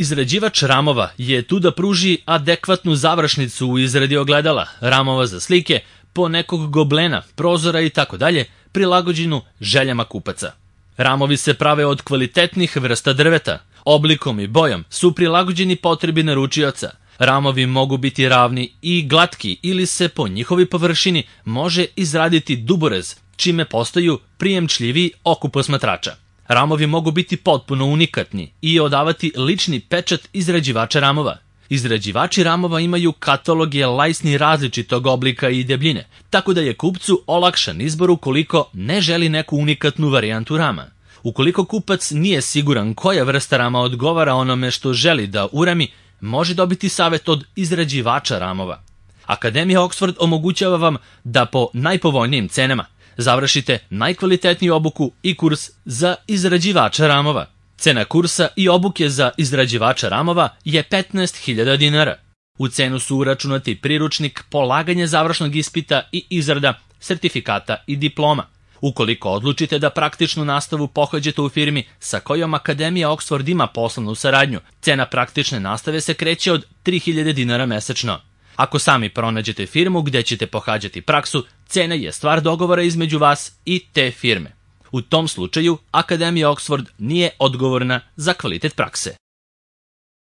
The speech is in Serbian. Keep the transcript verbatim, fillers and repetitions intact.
Izrađivač ramova je tu da pruži adekvatnu završnicu u izradi ogledala, ramova za slike, ponekog goblena, prozora itd., prilagođenu željama kupaca. Ramovi se prave od kvalitetnih vrsta drveta, oblikom i bojom su prilagođeni potrebi naručioca. Ramovi mogu biti ravni i glatki ili se po njihovoj površini može izraditi duborez, čime postaju prijemčljiviji oku posmatrača. Ramovi mogu biti potpuno unikatni i odavati lični pečat izrađivača ramova. Izrađivači ramova imaju kataloge lajsni različitog oblika i debljine, tako da je kupcu olakšan izbor ukoliko ne želi neku unikatnu varijantu rama. Ukoliko kupac nije siguran koja vrsta rama odgovara onome što želi da urami, može dobiti savjet od izrađivača ramova. Akademija Oxford omogućava vam da po najpovoljnijim cenama završite najkvalitetniju obuku i kurs za izrađivača ramova. Cena kursa i obuke za izrađivača ramova je petnaest hiljada dinara. U cenu su uračunati priručnik, polaganje završnog ispita i izrada sertifikata i diploma. Ukoliko odlučite da praktičnu nastavu pohađate u firmi sa kojom Akademija Oxford ima poslovnu saradnju, cena praktične nastave se kreće od tri hiljade dinara mesečno. Ako sami pronađete firmu gde ćete pohađati praksu, cena je stvar dogovora između vas i te firme. U tom slučaju, Akademija Oxford nije odgovorna za kvalitet prakse.